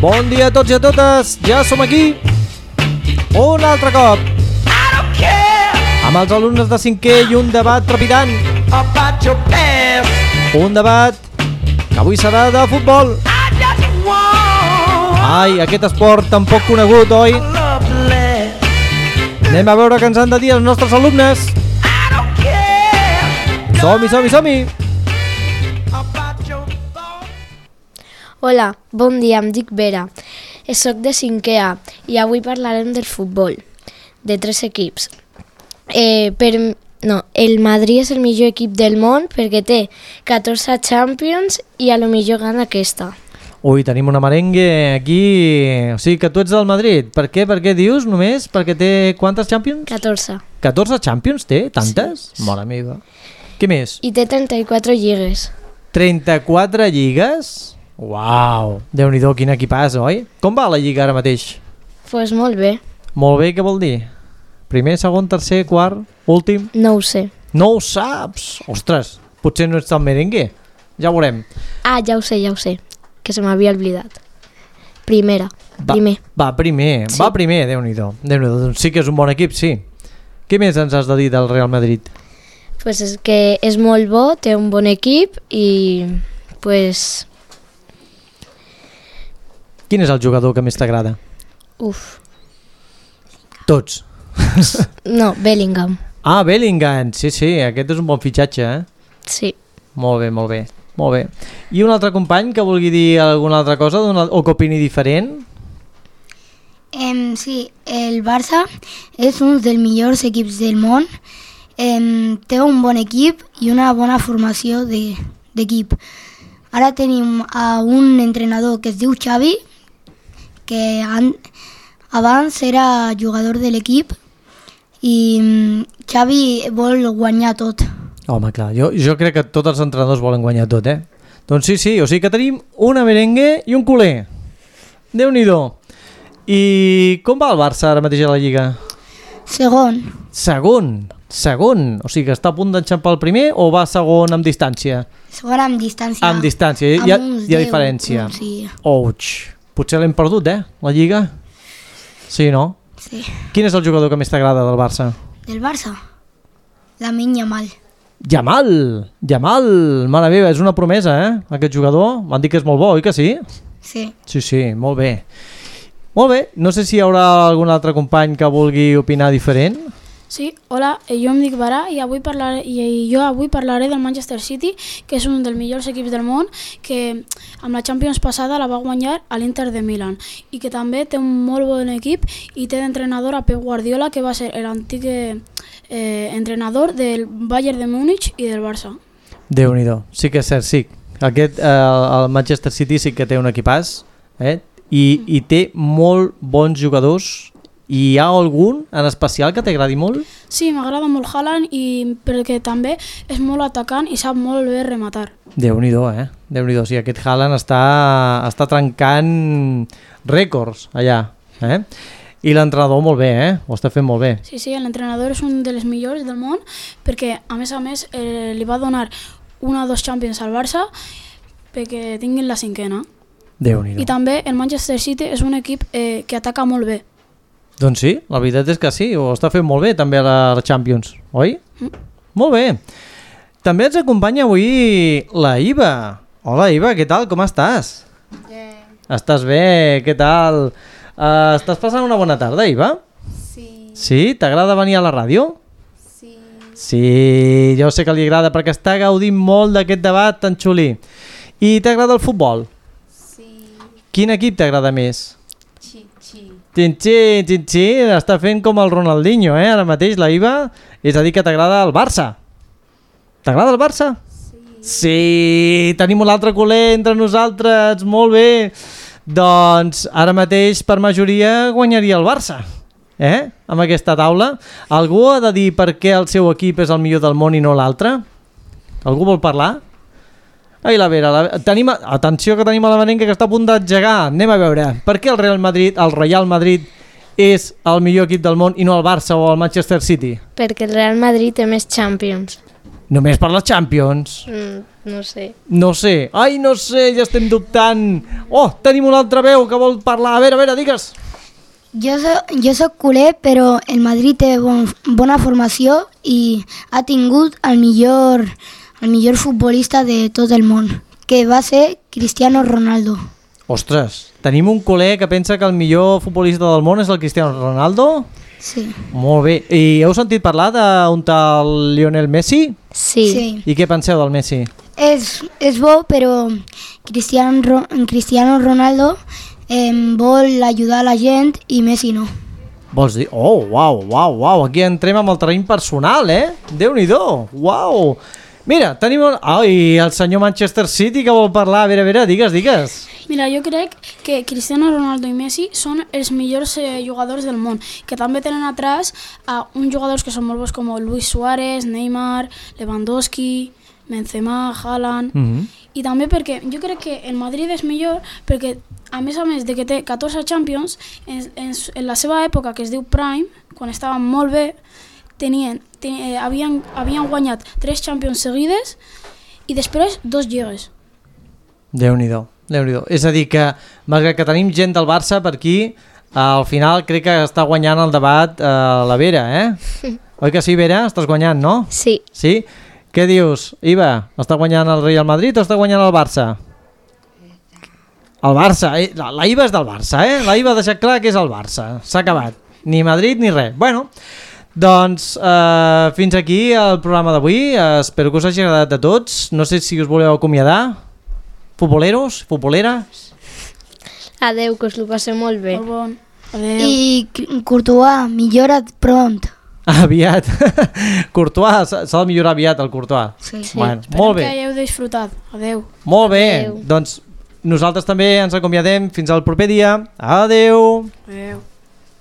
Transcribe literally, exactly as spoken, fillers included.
Bon dia a tots i a totes, ja som aquí un altre cop amb els alumnes de cinquè i un debat trepidant, un debat que avui serà de futbol. Ai, aquest esport tan poc conegut, oi? Anem a veure què ens han de dir els nostres alumnes. Som-hi, som-hi, som-hi. Hola, bon dia, em dic Vera, soc de cinquè A i avui parlarem del futbol, de tres equips. Eh, per, no, el Madrid és el millor equip del món perquè té catorze Champions i a lo millor gana aquesta. Ui, tenim una merengue aquí, o sigui que tu ets del Madrid. Per què, per què dius només? Perquè té quantes Champions? catorze. catorze Champions té? Tantes? Sí. Mare meva. Què més? I té trenta-quatre lligues. trenta-quatre lligues? Uau, Déu-n'hi-do, quin equipàs, oi? Com va la lliga ara mateix? Doncs pues molt bé. Molt bé, què vol dir? Primer, segon, tercer, quart, últim? No ho sé. No ho saps? Ostres, potser no ets tan merengue. Ja ho veurem. Ah, ja ho sé, ja ho sé, que se m'havia oblidat. Primera, Va, primer. Va, primer, Sí. va primer, Déu-n'hi-do. Déu-n'hi-do, doncs sí que és un bon equip, sí. Què més ens has de dir del Real Madrid? Doncs pues és que és molt bo, té un bon equip i pues, Quin és el jugador que més t'agrada? uf, Tots. no, Bellingham. Ah, Bellingham, sí, sí, aquest és un bon fitxatge, eh? Sí. Molt bé, molt bé, molt bé. I un altre company que vulgui dir alguna altra cosa o que opini diferent? Eh, sí, el Barça és un dels millors equips del món. Eh, té un bon equip i una bona formació de- d'equip. Ara tenim a un entrenador que es diu Xavi, que an, abans era jugador de l'equip i mm, Xavi vol guanyar tot. Home, clar, jo, jo crec que tots els entrenadors volen guanyar tot, eh? Doncs sí, sí, o sigui que tenim una merengue i un culer. Déu-n'hi-do. I com va el Barça ara mateix a la Lliga? Segon, Segon, segon. O sigui que està a punt d'enxampar el primer o va segon amb distància? segon amb distància. Amb distància, hi ha, Amb uns hi ha deu, diferència. un, sí, Ouch, potser l'hem perdut, eh, la Lliga? Sí, no? sí. Quin és el jugador que més t'agrada del Barça? Del Barça, Lamine Yamal. Yamal, Yamal, mare meva, és una promesa, eh, aquest jugador. M'han dit que és molt bo, oi que sí? Sí. Sí, sí, molt bé. Molt bé, no sé si hi haurà algun altre company que vulgui opinar diferent. Sí, hola, eh, jo em dic Barà i, avui parlaré, i jo avui parlaré del Manchester City, que és un dels millors equips del món, que amb la Champions passada la va guanyar a l'Inter de Milan i que també té un molt bon equip i té d'entrenador a Pep Guardiola, que va ser l'antic eh, entrenador del Bayern de Múnich i del Barça. Déu-n'hi-do, sí que és cert, sí. Aquest, eh, el Manchester City sí que té un equipàs, eh? I, i té molt bons jugadors. I hi ha algun en especial que t'agradi molt? Sí, m'agrada molt Haaland i perquè també és molt atacant i sap molt bé rematar. Déu-n'hi-do, eh? Déu-n'hi-do, sí, aquest Haaland està, està trencant rècords allà, eh? I l'entrenador molt bé, eh? Ho està fent molt bé. Sí, sí, l'entrenador és un dels millors del món perquè, a més a més, eh, li va donar una o dos Champions al Barça perquè tinguin la cinquena. Déu-n'hi-do. I també el Manchester City és un equip eh, que ataca molt bé. Doncs sí, la veritat és que sí, ho està fent molt bé també a la Champions, oi? Mm. Molt bé. També ens acompanya avui la Iva. Hola Iva, què tal? Com estàs? Bé. Estàs bé? Què tal? Uh, estàs passant una bona tarda, Iva? Sí. Sí? T'agrada venir a la ràdio? Sí. Sí, jo sé que li agrada perquè està gaudint molt d'aquest debat tan xulí. I t'agrada el futbol? Sí. Quin equip t'agrada més? Chi, chi. Xin-xin, xin-xin, està fent com el Ronaldinho, eh? Ara mateix la Iva, és a dir que t'agrada el Barça. T'agrada el Barça? Sí. Sí, tenim un altre culer entre nosaltres, molt bé. Doncs ara mateix per majoria guanyaria el Barça, eh? Amb aquesta taula. Algú ha de dir per què el seu equip és el millor del món i no l'altre? Algú vol parlar? Ai, la Vera, la... Tenim... atenció que tenim a la merenga que està a punt d'engegar. Anem a veure, per què el Real Madrid, el Real Madrid és el millor equip del món i no el Barça o el Manchester City? Perquè el Real Madrid té més Champions. Només per les Champions. Mm, no sé. No sé. Ai, no sé, ja estem dubtant. Oh, tenim una altra veu que vol parlar. A veure, a veure, digues. Jo soc, jo soc culer, però el Madrid té bon, bona formació i ha tingut el millor, el millor futbolista de tot el món, que va ser Cristiano Ronaldo. Ostres, tenim un culer que pensa que el millor futbolista del món és el Cristiano Ronaldo? Sí. Molt bé. I heu sentit parlar d'un tal Lionel Messi? Sí. sí. I què penseu del Messi? És, és bo, però Cristiano, Ro- Cristiano Ronaldo eh, vol ajudar a la gent i Messi no. Vols dir? Oh, uau, uau, uau. Aquí entrem amb el terreny personal, eh? Déu-n'hi-do, uau. Mira, tenim... Un... Oh, i el senyor Manchester City que vol parlar. A veure, a veure, digues, digues. Mira, jo crec que Cristiano Ronaldo i Messi són els millors eh, jugadors del món, que també tenen atrás a uns jugadors que són molt bons com Luis Suárez, Neymar, Lewandowski, Benzema, Haaland... Mm-hmm. I també perquè jo crec que el Madrid és millor perquè, a més a més de que té catorze Champions, en, en, en la seva època, que es diu Prime, quan estaven molt bé, tenien, ten, eh, havien, havien guanyat tres Champions seguides i després dos lligues. Déu-n'hi-do, Déu-n'hi-do. És a dir que, malgrat que tenim gent del Barça per aquí, al final crec que està guanyant el debat eh, la Vera, eh? Oi que sí, Vera? Estàs guanyant, no? Sí. Sí? Què dius, Iva? Està guanyant el Real Madrid o està guanyant el Barça? El Barça, eh? la, la Iva és del Barça, eh? La Iva ha deixat clar que és el Barça. S'ha acabat. Ni Madrid ni res. Bueno, doncs eh, fins aquí el programa d'avui. Eh, espero que us hagi agradat a tots. No sé si us voleu acomiadar. Futboleros, futboleres. Adeu, que us ho passeu molt bé. Molt bon. Adéu. I Courtois, millora't pront. Aviat. Courtois, s'ha de millorar aviat el Courtois. Sí. Bueno, Esperem molt bé. que hayeu disfrutat. Adéu. Molt bé. Adéu. Doncs nosaltres també ens acomiadem fins al proper dia. Adeu. Adéu.